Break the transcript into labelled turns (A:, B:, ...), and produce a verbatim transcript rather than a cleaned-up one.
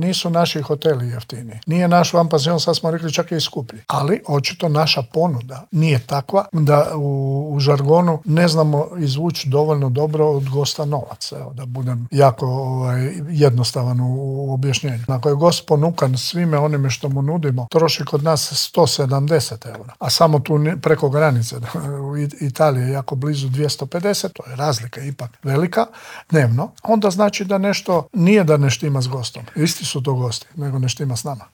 A: Nisu naši hoteli jeftini. Nije naš van pansion, sad smo rekli, čak i skuplji. Ali očito naša ponuda nije takva da u, u žargonu ne znamo izvući dovoljno dobro od gosta novac. Evo, da budem jako ovaj, jednostavan u, u objašnjenju. Ako je gost ponukan svime onime što mu nudimo, troši kod nas sto sedamdeset eura. A samo tu preko granice u Italiji je jako blizu dvjesto pedeset, to je razlika ipak velika, dnevno. Onda znači da nešto, nije da ne štima s gostom. Isti su to gosti, nego ne štima s nama.